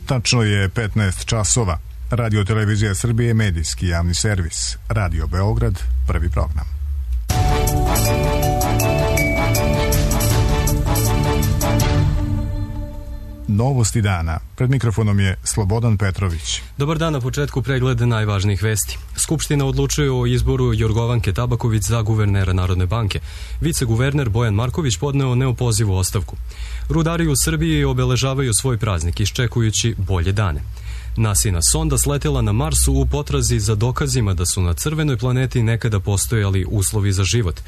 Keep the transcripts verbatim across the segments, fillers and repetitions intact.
Tačno je petnaest časova. Radio Televizija Srbije, medijski javni servis. Radio Beograd, prvi program. Novosti dana. Pred mikrofonom je Slobodan Petrović. Dobar dan, na početku pregled najvažnijih vesti. Skupština odlučuje o izboru Jorgovanke Tabaković za guvernera Narodne banke. Viceguverner Bojan Marković podneo neopozivu ostavku. Rudari u Srbiji obeležavaju svoj praznik iščekujući bolje dane. NASIna sonda sletela na Marsu u potrazi za dokazima da su na crvenoj planeti nekada postojali uslovi za život.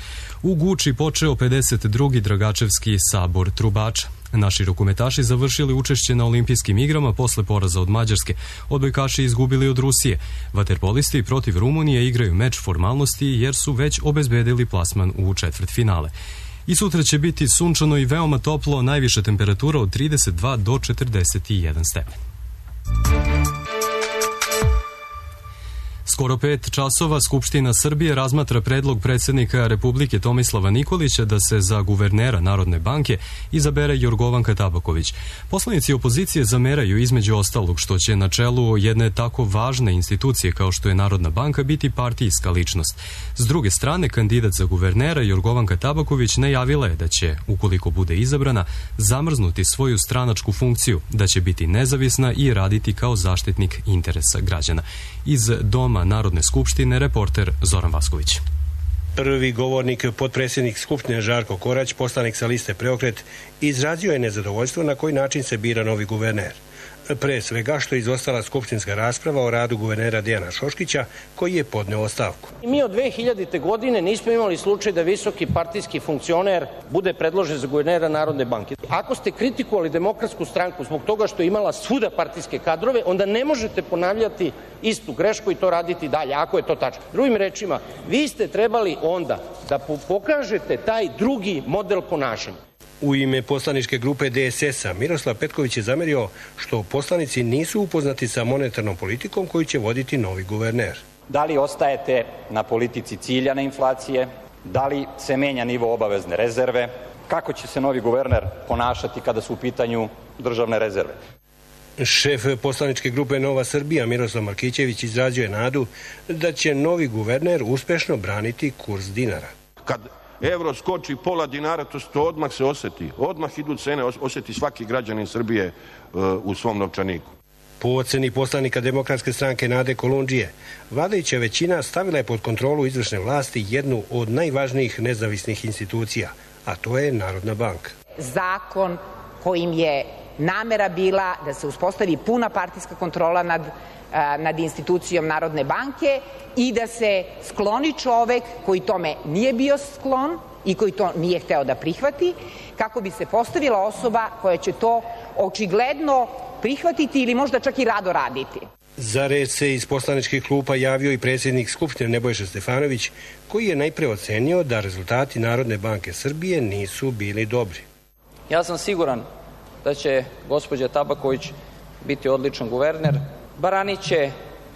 U Guči počeo pedeset drugi Dragačevski sabor trubača. Naši rukometaši završili učešće na olimpijskim igrama posle poraza od Mađarske. Odbojkaši izgubili od Rusije. Vaterpolisti protiv Rumunije igraju meč formalnosti jer su već obezbedili plasman u četvrtfinale. I sutra će biti sunčano i veoma toplo, najviša temperatura od trideset dva do četrdeset jedan stepen. Skoro pet časova Skupština Srbije razmatra predlog predsjednika Republike Tomislava Nikolića da se za guvernera Narodne banke izabere Jorgovanka Tabaković. Poslanici opozicije zameraju između ostalog što će na čelu jedne tako važne institucije kao što je Narodna banka biti partijska ličnost. S druge strane, kandidat za guvernera Jorgovanka Tabaković najavila je da će, ukoliko bude izabrana, zamrznuti svoju stranačku funkciju, da će biti nezavisna i raditi kao zaštitnik interesa građana. Iz Doma Narodne skupštine, reporter Zoran Vasković. Prvi govornik, potpredsjednik Skupštine Žarko Korać, poslanik sa liste Preokret, izrazio je nezadovoljstvo na koji način se bira novi guverner. Pre svega što je izostala skupštinska rasprava o radu guvernera Dejana Šoškića, koji je podneo ostavku. Mi od dve hiljadite. godine nismo imali slučaj da visoki partijski funkcioner bude predložen za guvernera Narodne banke. Ako ste kritikovali Demokratsku stranku zbog toga što je imala svuda partijske kadrove, onda ne možete ponavljati istu grešku i to raditi dalje, ako je to tačno. Drugim rečima, vi ste trebali onda da pokažete taj drugi model ponašanja. U ime poslaničke grupe D S S-a Miroslav Petković je zamerio što poslanici nisu upoznati sa monetarnom politikom koju će voditi novi guverner. Da li ostajete na politici ciljane inflacije? Da li se menja nivo obavezne rezerve? Kako će se novi guverner ponašati kada su u pitanju državne rezerve? Šef poslaničke grupe Nova Srbija Miroslav Markićević izrazio je nadu da će novi guverner uspešno braniti kurs dinara. Kad evro skoči pola dinara, to, to odmah se oseti. Odmah idu cene, osjeti svaki građanin Srbije uh, u svom novčaniku. Po oceni poslanika Demokratske stranke Nade Kolundžije, vladajuća većina stavila je pod kontrolu izvršne vlasti jednu od najvažnijih nezavisnih institucija, a to je Narodna banka. Zakon kojim je namera bila da se uspostavi puna partijska kontrola nad nad institucijom Narodne banke i da se skloni čovek koji tome nije bio sklon i koji to nije hteo da prihvati, kako bi se postavila osoba koja će to očigledno prihvatiti ili možda čak i rado raditi. Za red se iz poslaničkih klupa javio i predsjednik Skupštine Nebojša Stefanović, koji je najpre ocenio da rezultati Narodne banke Srbije nisu bili dobri. Ja sam siguran da će gospođa Tabaković biti odličan guverner. Branit će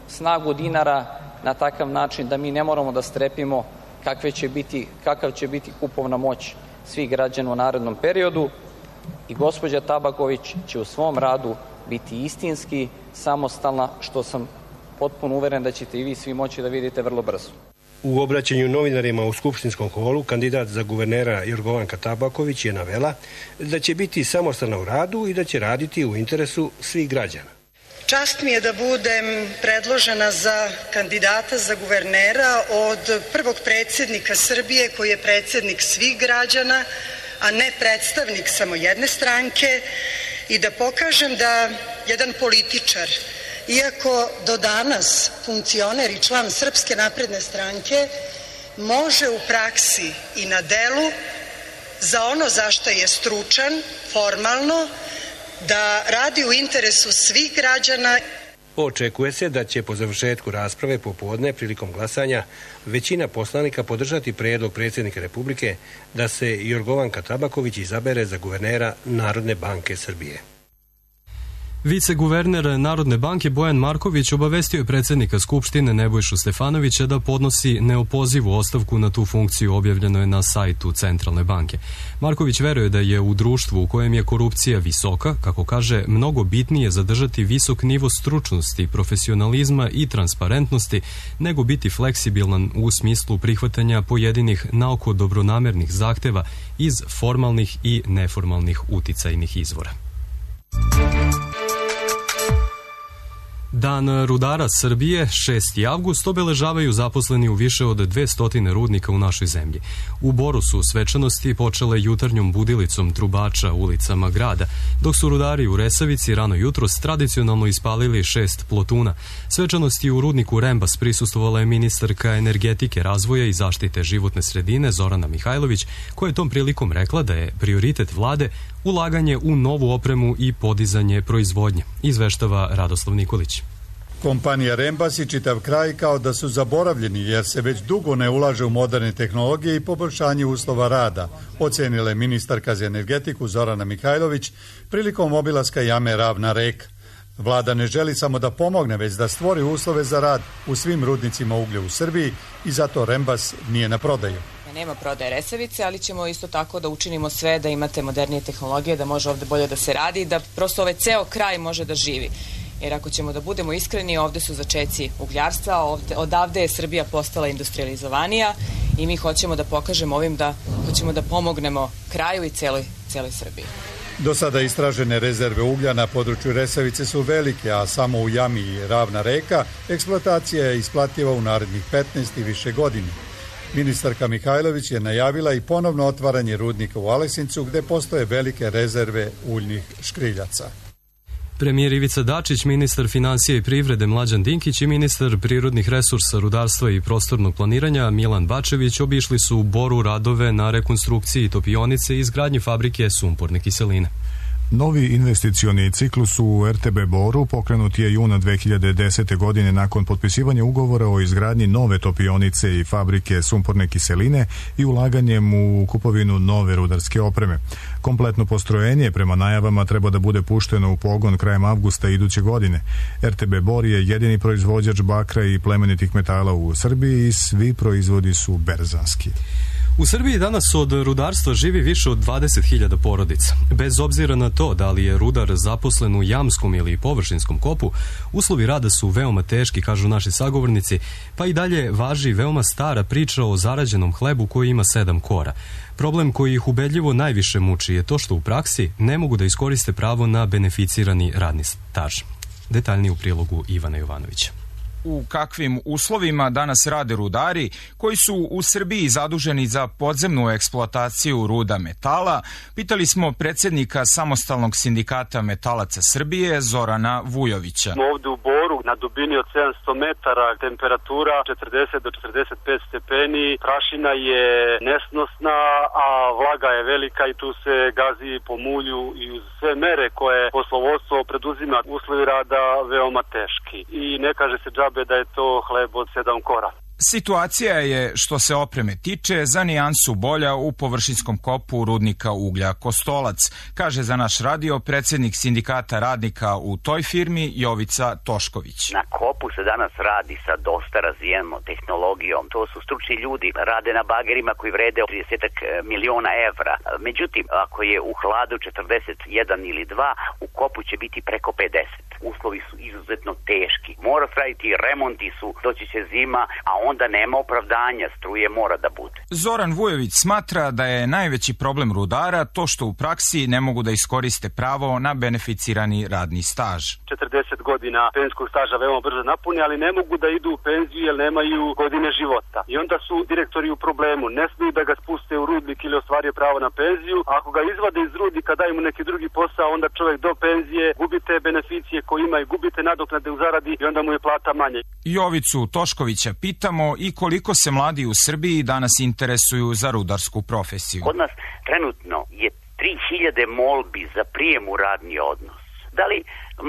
snagu dinara na takav način da mi ne moramo da strepimo kakve će biti, kakav će biti kupovna moć svih građana u narednom periodu i gospođa Tabaković će u svom radu biti istinski samostalna, što sam potpuno uveren da ćete i vi svi moći da vidite vrlo brzo. U obraćanju novinarima u skupštinskom holu kandidat za guvernera Jorgovanka Tabaković je navela da će biti samostalna u radu i da će raditi u interesu svih građana. Čast mi je da budem predložena za kandidata za guvernera od prvog predsjednika Srbije koji je predsjednik svih građana, a ne predstavnik samo jedne stranke, i da pokažem da jedan političar, iako do danas funkcioner i član Srpske napredne stranke, može u praksi i na delu za ono za što je stručan, formalno, da radi u interesu svih građana. Očekuje se da će po završetku rasprave popodne prilikom glasanja većina poslanika podržati predlog predsjednika Republike da se Jorgovanka Tabaković izabere za guvernera Narodne banke Srbije. Viceguverner Narodne banke Bojan Marković obavestio je predsjednika Skupštine Nebojšu Stefanovića da podnosi neopozivu ostavku na tu funkciju, objavljeno je na sajtu Centralne banke. Marković veruje da je u društvu u kojem je korupcija visoka, kako kaže, mnogo bitnije zadržati visok nivo stručnosti, profesionalizma i transparentnosti nego biti fleksibilan u smislu prihvatanja pojedinih naoko dobronamernih zahteva iz formalnih i neformalnih uticajnih izvora. Dan rudara Srbije, šesti avgust, obeležavaju zaposleni u više od dvesta rudnika u našoj zemlji. U Boru su svečanosti počele jutarnjom budilicom trubača ulicama grada, dok su rudari u Resavici rano jutros tradicionalno ispalili šest plotuna. Svečanosti u rudniku Rembas prisustvovala je ministarka energetike, razvoja i zaštite životne sredine Zorana Mihajlović, koja je tom prilikom rekla da je prioritet vlade ulaganje u novu opremu i podizanje proizvodnje, izveštava Radoslav Nikolić. Kompanija Rembas i čitav kraj kao da su zaboravljeni jer se već dugo ne ulaže u moderne tehnologije i poboljšanje uslova rada, ocenila je ministarka za energetiku Zorana Mihajlović prilikom obilaska jame Ravna reka. Vlada ne želi samo da pomogne, već da stvori uslove za rad u svim rudnicima uglja u Srbiji i zato Rembas nije na prodaju. Nema prodaje Resavice, ali ćemo isto tako da učinimo sve da imate modernije tehnologije, da može ovde bolje da se radi i da prosto ovaj ceo kraj može da živi. Jer ako ćemo da budemo iskreni, ovde su začeci ugljarstva, ovde, odavde je Srbija postala industrializovanija i mi hoćemo da pokažemo ovim da hoćemo da pomognemo kraju i celoj, celoj Srbiji. Do sada istražene rezerve uglja na području Resavice su velike, a samo u jami Ravna reka eksploatacija je isplativa u narednih petnaest i više godina. Ministarka Mihajlović je najavila i ponovno otvaranje rudnika u Aleksincu, gde postoje velike rezerve uljnih škriljaca. Premijer Ivica Dačić, ministar financija i privrede Mlađan Dinkić i ministar prirodnih resursa, rudarstva i prostornog planiranja Milan Bačević obišli su u Boru radove na rekonstrukciji topionice i izgradnji fabrike sumporne kiseline. Novi investicioni ciklus u R T B Boru pokrenut je juna dve hiljade desete. godine nakon potpisivanja ugovora o izgradnji nove topionice i fabrike sumporne kiseline i ulaganjem u kupovinu nove rudarske opreme. Kompletno postrojenje prema najavama treba da bude pušteno u pogon krajem avgusta iduće godine. R T B Bor je jedini proizvođač bakra i plemenitih metala u Srbiji i svi proizvodi su berzanski. U Srbiji danas od rudarstva živi više od dvadeset hiljada porodica. Bez obzira na to da li je rudar zaposlen u jamskom ili površinskom kopu, uslovi rada su veoma teški, kažu naši sagovornici, pa i dalje važi veoma stara priča o zarađenom hlebu koji ima sedam kora. Problem koji ih ubedljivo najviše muči je to što u praksi ne mogu da iskoriste pravo na beneficirani radni staž. Detaljnije u prilogu Ivana Jovanovića. U kakvim uslovima danas rade rudari koji su u Srbiji zaduženi za podzemnu eksploataciju ruda metala, pitali smo predsjednika Samostalnog sindikata metalaca Srbije Zorana Vujovića. Ovde u Boru na dubini od sedamsto metara temperatura četrdeset do četrdeset pet stepeni, prašina je nesnosna, a vlaga je velika i tu se gazi po mulju i uz sve mere koje poslovodstvo preduzima, uslovi rada veoma teški. I ne kaže se džabe da je to hleb od sedam kora. Situacija je, što se opreme tiče, za nijansu bolja u površinskom kopu rudnika uglja Kostolac, kaže za naš radio predsjednik sindikata radnika u toj firmi Jovica Tošković. Na kopu se danas radi sa dosta razvijenom tehnologijom. To su stručni ljudi, rade na bagerima koji vrede trideset miliona evra. Međutim, ako je u hladu četrdeset jedan ili dva, u kopu će biti preko pedeset. Uslovi su izuzetno teški. Mora se raditi, remonti su, doći će zima, a onda nema opravdanja, struje mora da bude. Zoran Vujović smatra da je najveći problem rudara to što u praksi ne mogu da iskoriste pravo na beneficirani radni staž. četrdeset godina penzijskog staža veoma brzo napuni, ali ne mogu da idu u penziju jer nemaju godine života. I onda su direktori u problemu. Ne smiju da ga spuste u rudnik ili ostvario pravo na penziju. Ako ga izvade iz rudnika, daju mu neki drugi posao, onda čovjek do penzije gubite beneficije koje ima i gubite nadoknade u zaradi i onda mu je plata manje. Jovicu Toškovića pitamo i koliko se mladi u Srbiji danas interesuju za rudarsku profesiju. Kod nas trenutno je tri hiljade molbi za prijem u radni odnos. Da li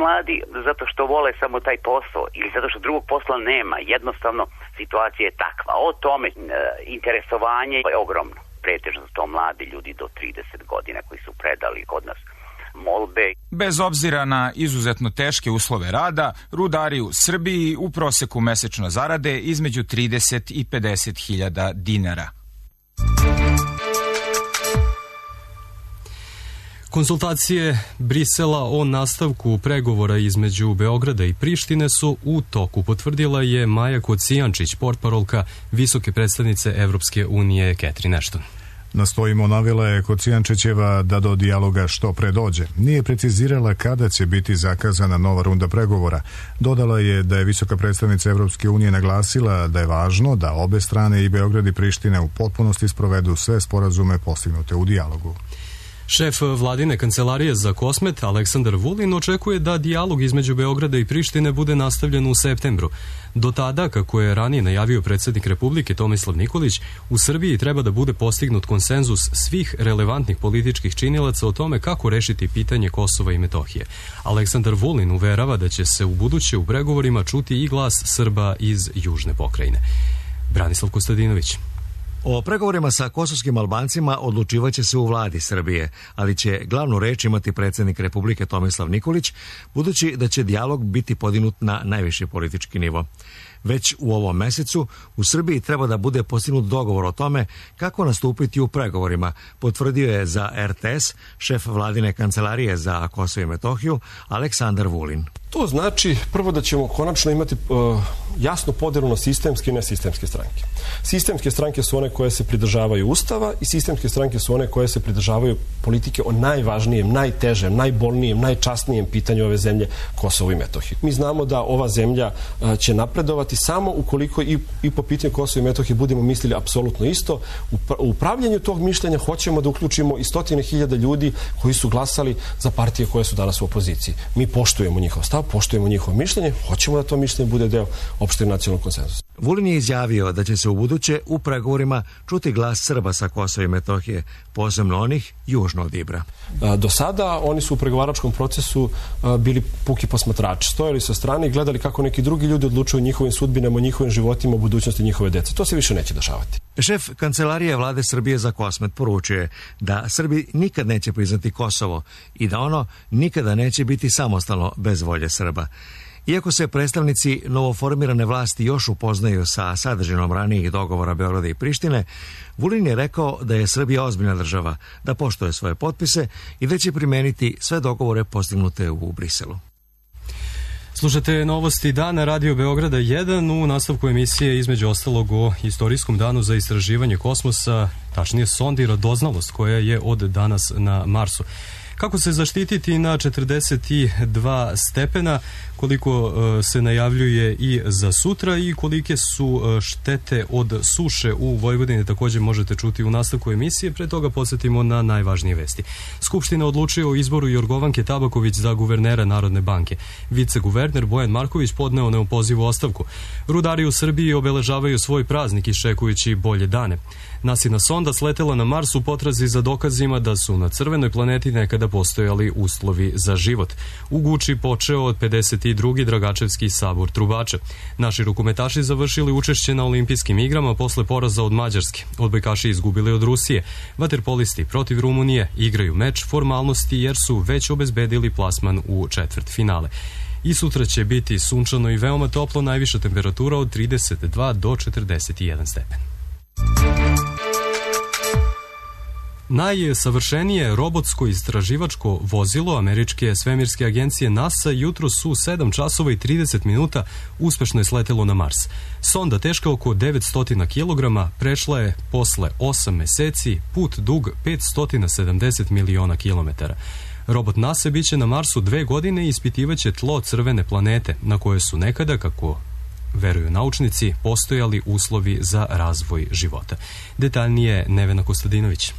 mladi zato što vole samo taj posao ili zato što drugog posla nema, jednostavno situacija je takva. O tome e, interesovanje je ogromno. Pretežno su to mladi ljudi do trideset godina koji su predali kod nas molbe. Bez obzira na izuzetno teške uslove rada, rudari u Srbiji u proseku mesečno zarade između trideset i pedeset hiljada dinara. Konsultacije Brisela o nastavku pregovora između Beograda i Prištine su u toku, potvrdila je Maja Kocijančić, portparolka visoke predstavnice Evropske unije Catherine Ashton. Nastojimo, navela je Kocijančićeva, da do dijaloga što pre dođe. Nije precizirala kada će biti zakazana nova runda pregovora. Dodala je da je visoka predstavnica Evropske unije naglasila da je važno da obe strane, i Beograd i Priština, u potpunosti sprovedu sve sporazume postignute u dijalogu. Šef vladine kancelarije za Kosmet, Aleksandar Vulin, očekuje da dijalog između Beograda i Prištine bude nastavljen u septembru. Do tada, kako je ranije najavio predsjednik Republike Tomislav Nikolić, u Srbiji treba da bude postignut konsenzus svih relevantnih političkih činilaca o tome kako rešiti pitanje Kosova i Metohije. Aleksandar Vulin uverava da će se u buduće u pregovorima čuti i glas Srba iz južne pokrajine. Branislav Kostadinović. O pregovorima sa kosovskim Albancima odlučivaće se u vladi Srbije, ali će glavnu reč imati predsjednik Republike Tomislav Nikolić, budući da će dijalog biti podignut na najviši politički nivo. Već u ovom mesecu u Srbiji treba da bude postignut dogovor o tome kako nastupiti u pregovorima, potvrdio je za er te es šef vladine kancelarije za Kosovo i Metohiju Aleksandar Vulin. To znači prvo da ćemo konačno imati uh, jasnu podelu na sistemske i nesistemske stranke. Sistemske stranke su one koje se pridržavaju Ustava i sistemske stranke su one koje se pridržavaju politike o najvažnijem, najtežem, najbolnijem, najčasnijem pitanju ove zemlje, Kosovo i Metohije. Mi znamo da ova zemlja uh, će napredovati samo ukoliko i, i po pitanju Kosova i Metohije budemo mislili apsolutno isto. U, u upravljanju tog mišljenja hoćemo da uključimo i stotine hiljada ljudi koji su glasali za partije koje su danas u opoziciji. Mi poštujemo njihov stav, poštujemo njihovo mišljenje, hoćemo da to mišljenje bude deo opšteg nacionalnog konsenzusa. Vulin je izjavio da će se u buduće u pregovorima čuti glas Srba sa Kosova i Metohije, posebno onih južno od Ibra. Do sada oni su u pregovaračkom procesu bili puki posmatrači, stojali sa strane i gledali kako neki drugi ljudi odlučuju o njihovim sudbinama, o njihovim životima, o budućnosti njihove dece. To se više neće dešavati. Šef kancelarije vlade Srbije za Kosmet poručuje da Srbi nikad neće priznati Kosovo i da ono nikada neće biti samostalno bez volje Srba. Iako se predstavnici novoformirane vlasti još upoznaju sa sadržinom ranijih dogovora Beograda i Prištine, Vulin je rekao da je Srbija ozbiljna država, da poštuje svoje potpise i da će primeniti sve dogovore postignute u Briselu. Slušate novosti dana Radio Beograda jedan, u nastavku emisije između ostalog o istorijskom danu za istraživanje kosmosa, tačnije sondi Radoznalost koja je od danas na Marsu. Kako se zaštititi na četrdeset dva stepena, koliko uh, se najavljuje i za sutra i kolike su uh, štete od suše u Vojvodini, također možete čuti u nastavku emisije. Pre toga podsjetimo na najvažnije vesti. Skupština odlučuje o izboru Jorgovanke Tabaković za guvernera Narodne banke. Viceguverner Bojan Marković podneo neopozivu ostavku. Rudari u Srbiji obeležavaju svoj praznik iščekujući bolje dane. Nasina sonda sletela na Mars u potrazi za dokazima da su na crvenoj planeti nekada postojali uslovi za život. U Guči počeo od pedeset drugi Dragačevski sabor trubača. Naši rukometaši završili učešće na olimpijskim igrama posle poraza od Mađarske. Odbojkaši izgubili od Rusije. Vaterpolisti protiv Rumunije igraju meč formalnosti jer su već obezbedili plasman u četvrt finale. I sutra će biti sunčano i veoma toplo, najviša temperatura od trideset dva do četrdeset jedan stepen. Najsavršenije robotsko istraživačko vozilo američke svemirske agencije NASA jutros u sedam časova i trideset minuta uspešno je sletelo na Mars. Sonda teška oko devetsto kilograma prešla je posle osam meseci put dug petsto sedamdeset miliona kilometara. Robot NASA biće na Marsu dve godine i ispitivaće tlo crvene planete na koje su nekada, kako veruju naučnici, postojali uslovi za razvoj života. Detaljnije Nevena Kostadinović.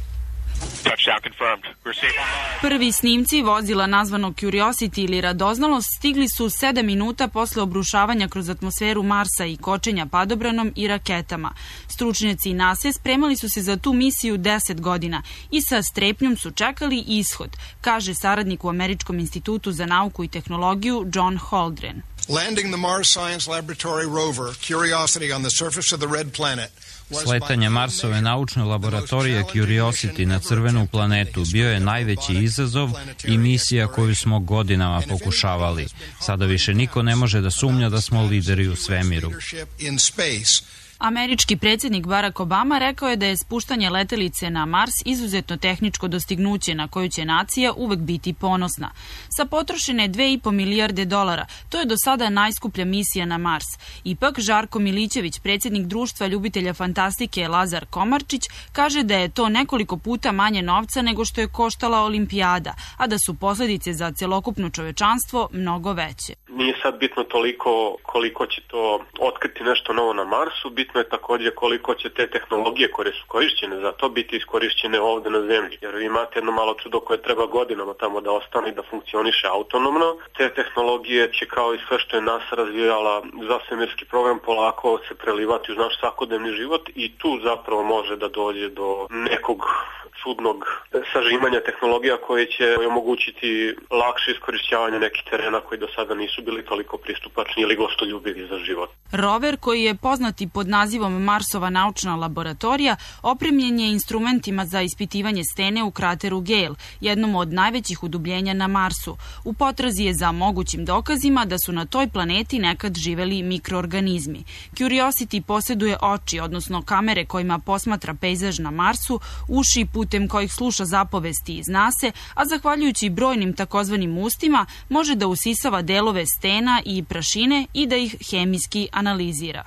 Prvi snimci vozila nazvanog Curiosity ili Radoznalost stigli su sedam minuta posle obrušavanja kroz atmosferu Marsa i kočenja padobranom i raketama. Stručnjaci NASA spremali su se za tu misiju deset godina i sa strepnjom su čekali ishod, kaže saradnik u Američkom institutu za nauku i tehnologiju John Holdren. Landing the Mars Science Laboratory rover Curiosity on the surface of the red planet Sletanje Marsove naučne laboratorije Curiosity na crvenu planetu bio je najveći izazov i misija koju smo godinama pokušavali. Sada više niko ne može da sumnja da smo lideri u svemiru. Američki predsjednik Barack Obama rekao je da je spuštanje letelice na Mars izuzetno tehničko dostignuće na koju će nacija uvek biti ponosna. Sa potrošene dve i po milijarde dolara, to je do sada najskuplja misija na Mars. Ipak, Žarko Milićević, predsjednik društva ljubitelja fantastike Lazar Komarčić, kaže da je to nekoliko puta manje novca nego što je koštala olimpijada, a da su posljedice za celokupno čovečanstvo mnogo veće. Nije sad bitno toliko koliko će to otkriti nešto novo na Marsu, bitno je također koliko će te tehnologije koje su korišćene za to biti iskorišćene ovdje na Zemlji. Jer vi imate jedno malo čudo koje treba godinama tamo da ostane i da funkcioniše autonomno. Te tehnologije će kao i sve što je NASA razvijala za svemirski program polako se prelivati uz naš svakodnevni život i tu zapravo može da dođe do nekog čudnog sažimanja tehnologija koje će omogućiti lakše iskorišćavanje nekih terena koji do sada nisu bili toliko pristupačni ili gostoljubivi za život. Rover, koji je poznati pod nazivom Marsova naučna laboratorija, opremljen je instrumentima za ispitivanje stene u krateru Gale, jednom od najvećih udubljenja na Marsu. U potrazi je za mogućim dokazima da su na toj planeti nekad živeli mikroorganizmi. Curiosity posjeduje oči, odnosno kamere kojima posmatra pejzaž na Marsu, uši putem kojih sluša zapovesti iz nase, a zahvaljujući brojnim takozvanim ustima može da usisava delove stena i prašine i da ih hemijski analizira.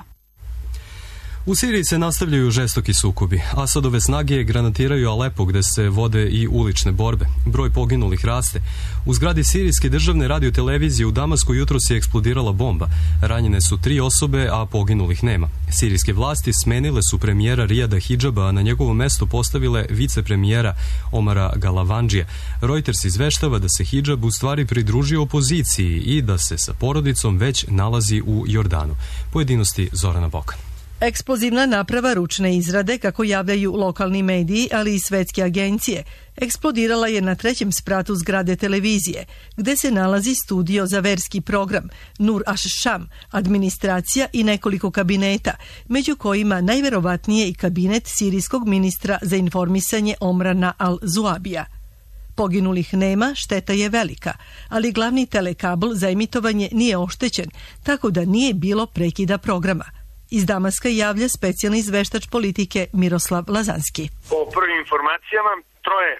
U Siriji se nastavljaju žestoki sukobi. Asadove snage granatiraju Alepo gde se vode i ulične borbe. Broj poginulih raste. U zgradi sirijske državne radiotelevizije u Damasku jutros je eksplodirala bomba. Ranjene su tri osobe, a poginulih nema. Sirijske vlasti smenile su premijera Rijada Hidžaba, a na njegovo mesto postavile vicepremijera Omara Galavandžija. Reuters izveštava da se Hidžab u stvari pridružio opoziciji i da se sa porodicom već nalazi u Jordanu. Pojedinosti Zorana Bokan. Eksplozivna naprava ručne izrade, kako javljaju lokalni mediji, ali i svetske agencije, eksplodirala je na trećem spratu zgrade televizije, gde se nalazi studio za verski program, Nur Ash-Sham, administracija i nekoliko kabineta, među kojima najverovatnije i kabinet sirijskog ministra za informisanje Omrana al-Zuabija. Poginulih nema, šteta je velika, ali glavni telekabl za emitovanje nije oštećen, tako da nije bilo prekida programa. Iz Damaska javlja specijalni izveštač politike Miroslav Lazanski. Po prvim informacijama, troje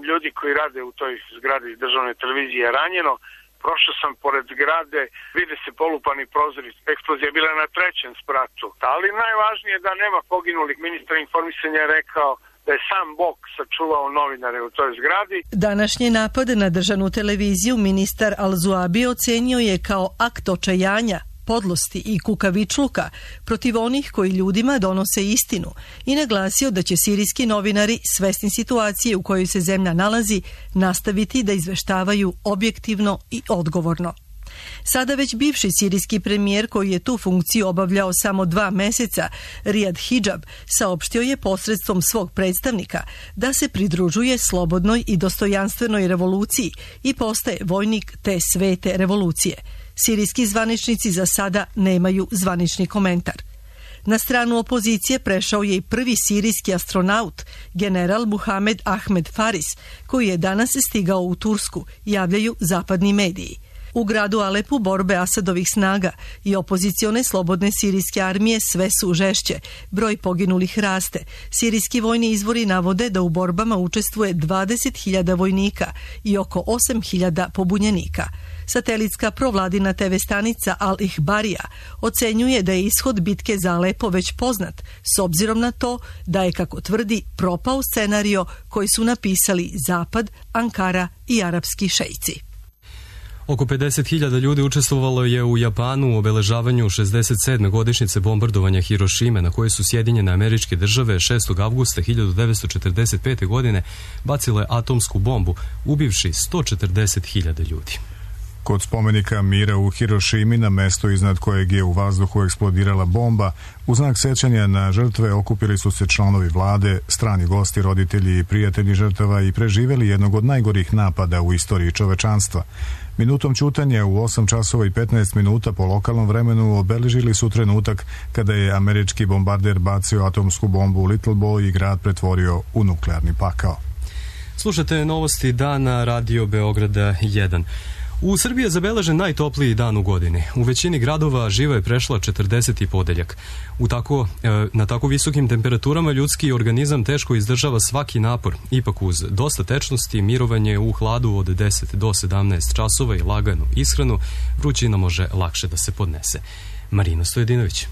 ljudi koji rade u toj zgradi državne televizije je ranjeno. Prošao sam pored zgrade, vide se polupani prozori, eksplozija je bila na trećem spratu. Ali najvažnije je da nema poginulih. Ministar informisanja je rekao da je sam Bog sačuvao novinare u toj zgradi. Današnji napad na državnu televiziju ministar Al-Zuabi ocenio je kao akt očajanja, podlosti i kukavičluka protiv onih koji ljudima donose istinu i naglasio da će sirijski novinari, svesni situacije u kojoj se zemlja nalazi, nastaviti da izveštavaju objektivno i odgovorno. Sada već bivši sirijski premijer, koji je tu funkciju obavljao samo dva meseca, Rijad Hidžab, saopštio je posredstvom svog predstavnika da se pridružuje slobodnoj i dostojanstvenoj revoluciji i postaje vojnik te svete revolucije. Sirijski zvaničnici za sada nemaju zvanični komentar. Na stranu opozicije prešao je i prvi sirijski astronaut, general Muhamed Ahmed Faris, koji je danas stigao u Tursku, javljaju zapadni mediji. U gradu Alepu borbe Asadovih snaga i opozicione slobodne sirijske armije sve su žešće. Broj poginulih raste. Sirijski vojni izvori navode da u borbama učestvuje dvadeset hiljada vojnika i oko osam hiljada pobunjenika. Satelitska provladina te ve stanica Al-Ihbarija ocenjuje da je ishod bitke za Alepo već poznat, s obzirom na to da je, kako tvrdi, propao scenario koji su napisali Zapad, Ankara i arapski šeici. Oko pedeset hiljada ljudi učestvovalo je u Japanu u obeležavanju šezdeset sedme godišnjice bombardovanja Hirošime, na koje su Sjedinjene Američke Države šestog avgusta hiljadu devetsto četrdeset pete. godine bacile atomsku bombu, ubivši sto četrdeset hiljada ljudi. Kod spomenika mira u Hirošimi, na mesto iznad kojeg je u vazduhu eksplodirala bomba, u znak sećanja na žrtve okupili su se članovi vlade, strani gosti, roditelji i prijatelji žrtava i preživeli jednog od najgorih napada u istoriji čovečanstva. Minutom ćutanja u osam časova i petnaest minuta po lokalnom vremenu obeležili su trenutak kada je američki bombarder bacio atomsku bombu u Little Boy i grad pretvorio u nuklearni pakao. Slušate novosti dana Radio Beograda jedan. U Srbiji je zabeležen najtopliji dan u godini. U većini gradova živa je prešla četrdeseti podeljak. U tako, na tako visokim temperaturama ljudski organizam teško izdržava svaki napor. Ipak uz dosta tečnosti, mirovanje u hladu od deset do sedamnaest časova i laganu ishranu, vrućina može lakše da se podnese. Marina Stojedinović.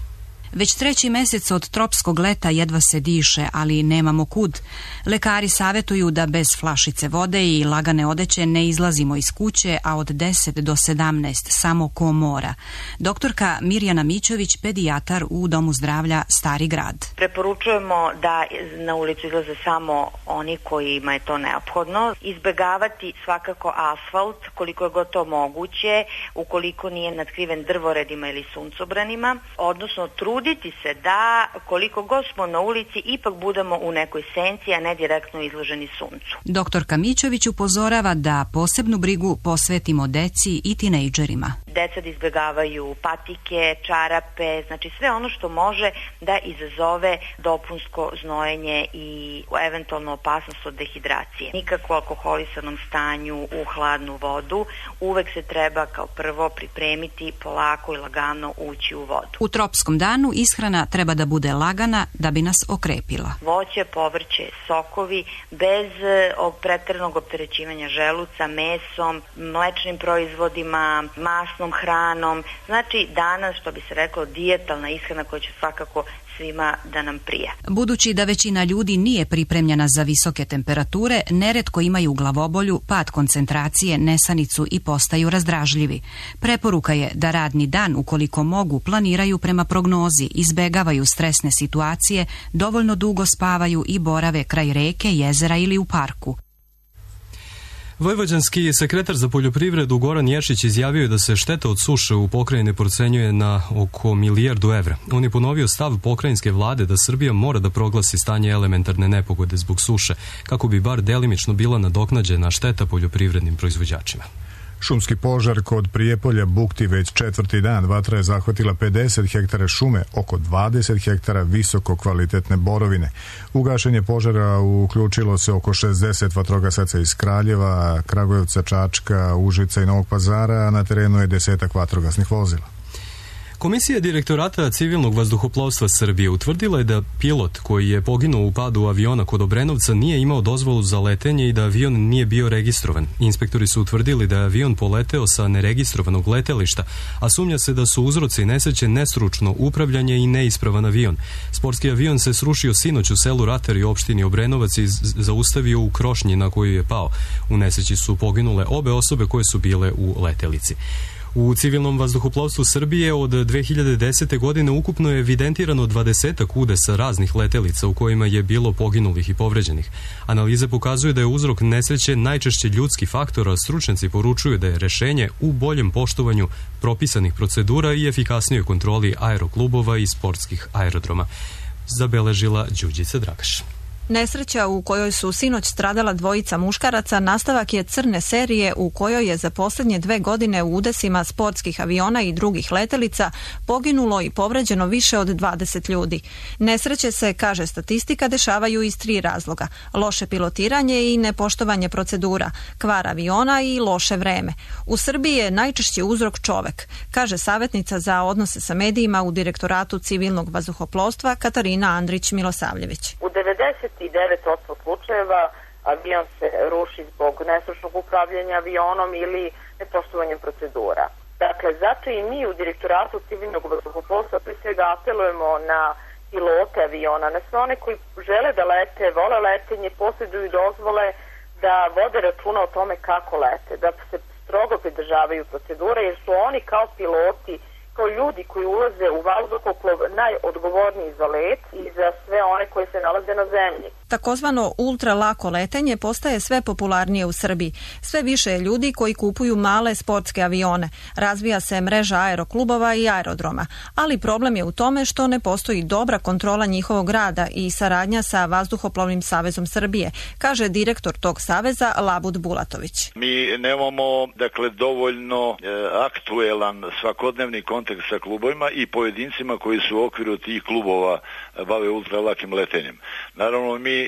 Već treći mesec od tropskog leta jedva se diše, ali nemamo kud. Lekari savetuju da bez flašice vode i lagane odeće ne izlazimo iz kuće, a od deset do sedamnaest samo ko mora. Doktorka Mirjana Mićović, pedijatar u Domu zdravlja Stari grad. Preporučujemo da na ulicu izlaze samo oni kojima je to neophodno. Izbegavati svakako asfalt koliko je god to moguće, ukoliko nije natkriven drvoredima ili suncobranima, odnosno trud Truditi se da koliko god smo na ulici ipak budemo u nekoj senci, a ne direktno izloženi suncu. Doktorka Mićović upozorava da posebnu brigu posvetimo deci i tinejdžerima. Deca da izbjegavaju patike, čarape, znači sve ono što može da izazove dopunsko znojenje i eventualno opasnost od dehidracije. Nikako u alkoholisanom stanju u hladnu vodu, uvek se treba kao prvo pripremiti polako i lagano ući u vodu. U tropskom danu ishrana treba da bude lagana da bi nas okrepila. Voće, povrće, sokovi, bez preteranog opterećivanja želuca, mesom, mlečnim proizvodima, masnom hranom. Znači danas, što bi se reklo, dijetalna ishrana koja će svakako svima da nam prije. Budući da većina ljudi nije pripremljena za visoke temperature, neretko imaju glavobolju, pad koncentracije, nesanicu i postaju razdražljivi. Preporuka je da radni dan, ukoliko mogu, planiraju prema prognozi, izbegavaju stresne situacije, dovoljno dugo spavaju i borave kraj reke, jezera ili u parku. Vojvođanski sekretar za poljoprivredu Goran Ješić izjavio je da se šteta od suše u pokrajini procenjuje na oko milijardu evra. On je ponovio stav pokrajinske vlade da Srbija mora da proglasi stanje elementarne nepogode zbog suše, kako bi bar delimično bila nadoknađena šteta poljoprivrednim proizvođačima. Šumski požar kod Prijepolja bukti već četvrti dan. Vatra je zahvatila pedeset hektara šume, oko dvadeset hektara visoko kvalitetne borovine. U gašenje požara uključilo se oko šezdeset vatrogasaca iz Kraljeva, Kragujevca, Čačka, Užica i Novog Pazara, a na terenu je desetak vatrogasnih vozila. Komisija direktorata civilnog vazduhoplovstva Srbije utvrdila je da pilot koji je poginuo u padu aviona kod Obrenovca nije imao dozvolu za letenje i da avion nije bio registrovan. Inspektori su utvrdili da je avion poleteo sa neregistrovanog letelišta, a sumnja se da su uzroci nesreće nestručno upravljanje i neispravan avion. Sportski avion se srušio sinoć u selu Ratar i opštini Obrenovac i zaustavio u krošnji na koju je pao. U nesreći su poginule obe osobe koje su bile u letelici. U civilnom vazduhoplovstvu Srbije od dve hiljade desete. godine ukupno je evidentirano dvadesetak udesa raznih letelica u kojima je bilo poginulih i povređenih. Analize pokazuju da je uzrok nesreće najčešće ljudski faktor, a stručnjaci poručuju da je rešenje u boljem poštovanju propisanih procedura i efikasnijoj kontroli aeroklubova i sportskih aerodroma. Zabeležila Đuđica Dragaš. Nesreća u kojoj su sinoć stradala dvojica muškaraca nastavak je crne serije u kojoj je za posljednje dve godine u udesima sportskih aviona i drugih letelica poginulo i povređeno više od dvadeset ljudi. Nesreće se, kaže statistika, dešavaju iz tri razloga: loše pilotiranje i nepoštovanje procedura, kvar aviona i loše vreme. U Srbiji je najčešći uzrok čovek, kaže savjetnica za odnose sa medijima u Direktoratu civilnog vazduhoplovstva Katarina Andrić-Milosavljević. U devedeset devet posto slučajeva avion se ruši zbog nestručnog upravljanja avionom ili nepoštovanjem procedura. Dakle, zato i mi u Direktoratu civilnog vazduhoplovstva pre svega apelujemo na pilote aviona, na sve one koji žele da lete, vole letenje, posjeduju dozvole, da vode računa o tome kako lete, da se strogo pridržavaju procedure, jer su oni kao piloti, kao ljudi koji ulaze u vazduhoplov najodgovorniji za let i za sve one koji se nalaze na zemlji. Takozvano ultra lako letenje postaje sve popularnije u Srbiji. Sve više je ljudi koji kupuju male sportske avione. Razvija se mreža aeroklubova i aerodroma. Ali problem je u tome što ne postoji dobra kontrola njihovog rada i saradnja sa Vazduhoplovnim savezom Srbije, kaže direktor tog saveza Labud Bulatović. Mi nemamo, dakle, dovoljno e, aktuelan svakodnevni kontakt sa klubovima i pojedincima koji su u okviru tih klubova bave ultralakim letenjem. Naravno, mi e,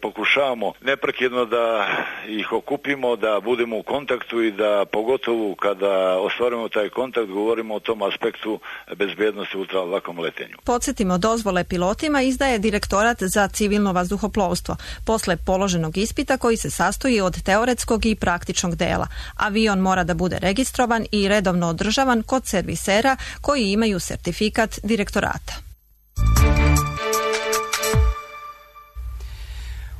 pokušavamo neprekidno da ih okupimo, da budemo u kontaktu i da pogotovo kada ostvarimo taj kontakt govorimo o tom aspektu bezbednosti u ultralakom letenju. Podsjetimo, dozvole pilotima izdaje Direktorat za civilno vazduhoplovstvo posle položenog ispita koji se sastoji od teoretskog i praktičnog dela. Avion mora da bude registrovan i redovno održavan kod servisera koji imaju sertifikat direktorata.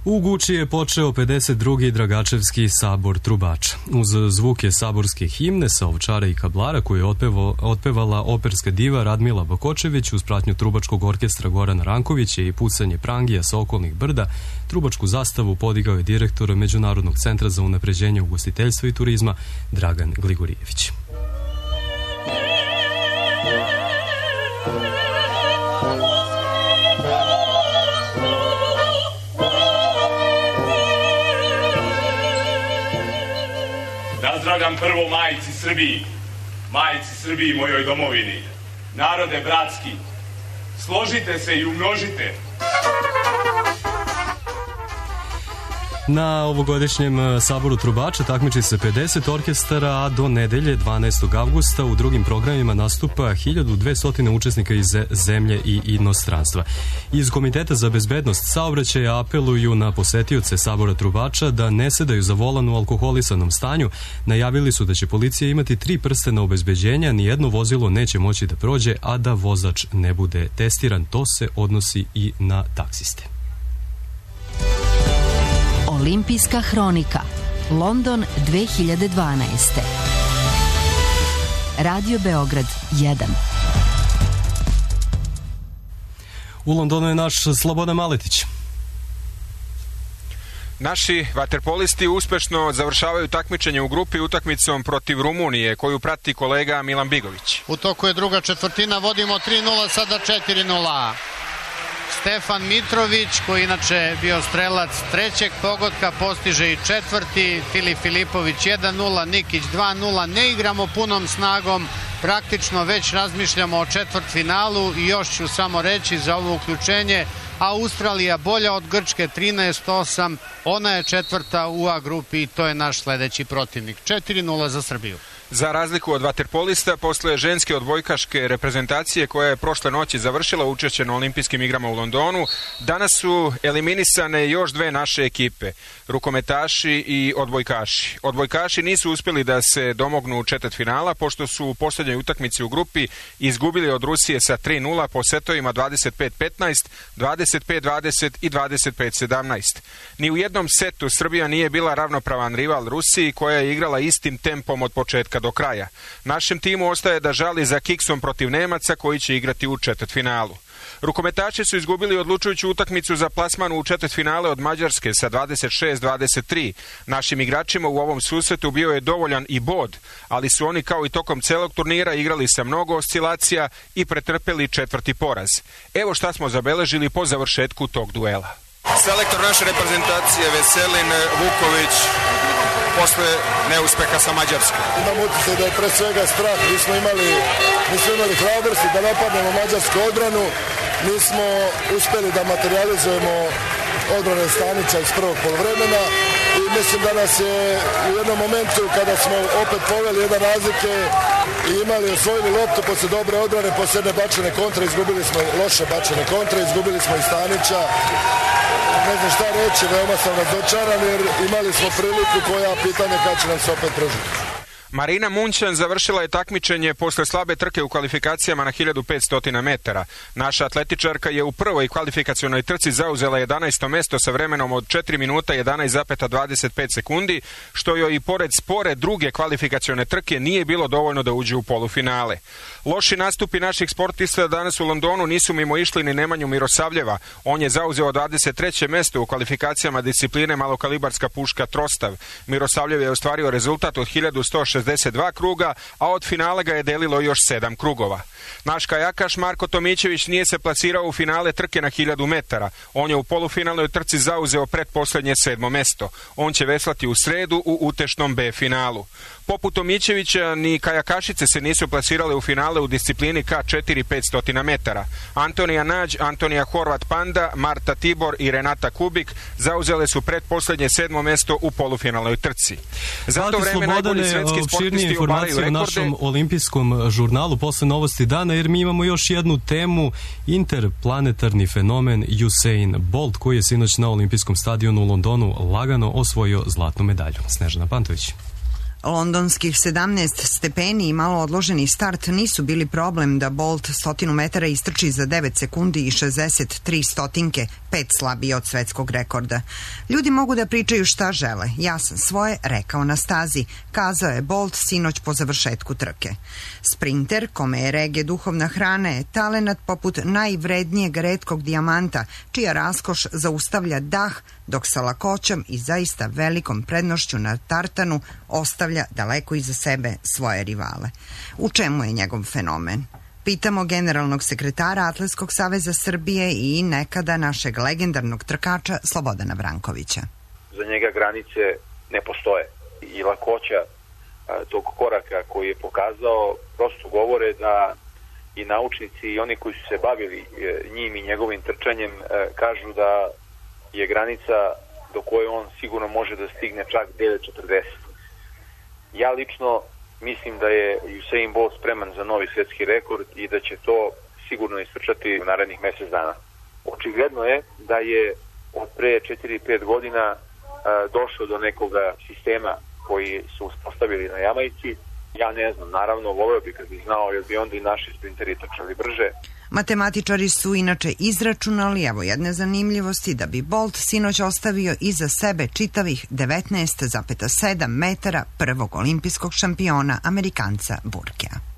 U Guči je počeo pedeset drugi Dragačevski sabor trubača. Uz zvuke saborske himne sa Ovčara i Kablara koju je otpevo, otpevala operska diva Radmila Bakočević uz pratnju trubačkog orkestra Gorana Rankovića i pucanje prangija sa okolnih brda, trubačku zastavu podigao je direktor Međunarodnog centra za unapređenje ugostiteljstva i turizma Dragan Gligorijević. Nazdravljam prvo majici Srbiji, majici Srbiji, mojoj domovini. Narode bratski, složite se i umnožite. Na ovogodišnjem saboru trubača takmiči se pedeset orkestara, a do nedelje dvanaestog avgusta u drugim programima nastupa hiljadu dvesta učesnika iz zemlje i inostranstva. Iz Komiteta za bezbednost saobraćaja apeluju na posetioce sabora trubača da ne sedaju za volan u alkoholisanom stanju. Najavili su da će policija imati tri prstena obezbeđenja, nijedno vozilo neće moći da prođe, a da vozač ne bude testiran. To se odnosi i na taksiste. Olimpijska hronika, London dve hiljade dvanaeste. Radio Beograd jedan. U Londonu je naš Slobodan Maletić. Naši vaterpolisti uspešno završavaju takmičenje u grupi utakmicom protiv Rumunije, koju prati kolega Milan Bigović. U toku je druga četvrtina, vodimo tri nula, sada četiri nula. Stefan Mitrović, koji inače bio strelac trećeg pogotka, postiže i četvrti. Filip Filipović jedan nula, Nikić dva nula. Ne igramo punom snagom, praktično već razmišljamo o četvrtfinalu i još ću samo reći za ovo uključenje. Australija bolja od Grčke trinaest osam, ona je četvrta u A grupi i to je naš sledeći protivnik. četiri nula za Srbiju. Za razliku od vaterpolista, posle ženske odbojkaške reprezentacije koja je prošle noći završila učešće na olimpijskim igrama u Londonu, danas su eliminisane još dve naše ekipe, rukometaši i odbojkaši. Odbojkaši nisu uspjeli da se domognu četvrtfinala, pošto su u posljednjoj utakmici u grupi izgubili od Rusije sa tri nula po setovima dvadeset pet petnaest, dvadeset pet dvadeset i dvadeset pet sedamnaest. Ni u jednom setu Srbija nije bila ravnopravan rival Rusiji, koja je igrala istim tempom od početka do kraja. Našem timu ostaje da žali za kiksom protiv Nemaca, koji će igrati u četvrtfinalu. Rukometaši su izgubili odlučujuću utakmicu za plasman u četvrtfinale od Mađarske sa dvadeset šest dvadeset tri. Našim igračima u ovom susretu bio je dovoljan i bod, ali su oni kao i tokom celog turnira igrali sa mnogo oscilacija i pretrpeli četvrti poraz. Evo šta smo zabeležili po završetku tog duela. Selektor naše reprezentacije Veselin Vuković posle neuspeha sa Mađarske. Imam utisak da je pre svega strah, nismo imali, nismo imali hrabrosti da napadnemo mađarsku odbranu, nismo uspeli da materializujemo odbrane Stanića iz prvog poluvremena i mislim da nas je u jednom momentu kada smo opet poveli jedan razlike i imali osvojili loptu posle dobre odbrane, posle jedne bačene kontre, izgubili smo loše bačene kontre, izgubili smo i Stanića. Ne znam šta reći, veoma sam razočaran jer imali smo priliku koja pitanje kad će nam se opet pružiti. Marina Munćan završila je takmičenje posle slabe trke u kvalifikacijama na hiljadu petsto metara. Naša atletičarka je u prvoj kvalifikacionoj trci zauzela jedanaesto mesto sa vremenom od četiri minuta jedanaest zarez dvadeset pet sekundi, što joj i pored spore druge kvalifikacione trke nije bilo dovoljno da uđe u polufinale. Loši nastupi naših sportista danas u Londonu nisu mimo išli ni Nemanju Mirosavljeva. On je zauzeo dvadeset treće mesto u kvalifikacijama discipline malokalibarska puška Trostav. Mirosavljev je ostvario rezultat od hiljadu sto šezdeset dva kruga, a od finala ga je delilo još sedam krugova. Naš kajakaš Marko Tomićević nije se plasirao u finale trke na hiljadu metara. On je u polufinalnoj trci zauzeo pretposlednje sedmo mesto. On će veslati u sredu u utešnom B finalu. Poput Tomićevića, ni kajakašice se nisu plasirale u finale u disciplini K četiri petsto metara. Antonija Nađ, Antonija Horvat Panda, Marta Tibor i Renata Kubik zauzele su pretposlednje sedmo mesto u polufinalnoj trci. Za to vreme najbolji svetski sportisti obaraju rekorde. U našom olimpijskom žurnalu posle novosti dana, jer mi imamo još jednu temu, interplanetarni fenomen Usain Bolt, koji je sinoć na olimpijskom stadionu u Londonu lagano osvojio zlatnu medalju. Snežana Pantović. Londonskih sedamnaest stepeni i malo odloženi start nisu bili problem da Bolt stotinu metara istrči za devet sekundi i šezdeset tri stotinke, pet slabije od svetskog rekorda. Ljudi mogu da pričaju šta žele. Ja sam svoje rekao na stazi, kazao je Bolt sinoć po završetku trke. Sprinter, kome je reggae duhovna hrana, je talenat poput najvrednijeg retkog dijamanta, čija raskoš zaustavlja dah, dok sa lakoćom i zaista velikom prednošću na tartanu ostavlja daleko iza sebe svoje rivale. U čemu je njegov fenomen? Pitamo generalnog sekretara Atletskog saveza Srbije i nekada našeg legendarnog trkača Slobodana Vrankovića. Za njega granice ne postoje i lakoća tog koraka koji je pokazao prosto govore da i naučnici i oni koji su se bavili njim i njegovim trčanjem kažu da je granica do koje on sigurno može da stigne čak devet četrdeset. Ja lično mislim da je Usain Bolt spreman za novi svetski rekord i da će to sigurno istrčati u narednih mesec dana. Očigledno je da je od pre četiri pet godina a, došlo do nekoga sistema koji su uspostavili na Jamajci. Ja ne znam, naravno, voleo bi kad bih znao, jer bi onda i naši sprinteri trčali brže. Matematičari su inače izračunali, evo jedne zanimljivosti, da bi Bolt sinoć ostavio iza sebe čitavih devetnaest zarez sedam metara prvog olimpijskog šampiona, Amerikanca Burkea.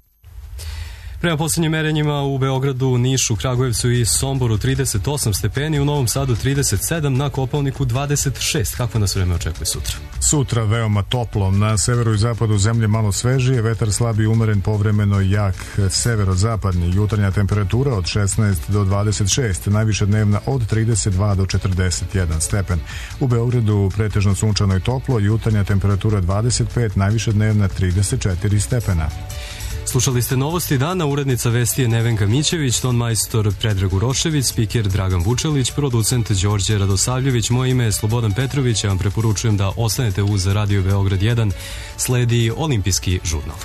Prema poslednjim merenjima u Beogradu, Nišu, Kragujevcu i Somboru trideset osam stepeni, u Novom Sadu trideset sedam, na Kopaoniku dvadeset šest. Kako nas vreme očekuje sutra? Sutra veoma toplo, na severu i zapadu zemlje malo svežije, vetar slab i umeren, povremeno jak severozapadni, jutarnja temperatura od šesnaest do dvadeset šest, najviše dnevna od trideset dva do četrdeset jedan stepen. U Beogradu pretežno sunčano i toplo, jutarnja temperatura dvadeset pet, najviše dnevna trideset četiri stepena. Slušali ste novosti dana, urednica vesti je Nevenka Mićević, ton majstor Predrag Urošević, spiker Dragan Vučelić, producent Đorđe Radosavljević, moje ime je Slobodan Petrović, ja vam preporučujem da ostanete uz Radio Beograd jedan, sledi olimpijski žurnal.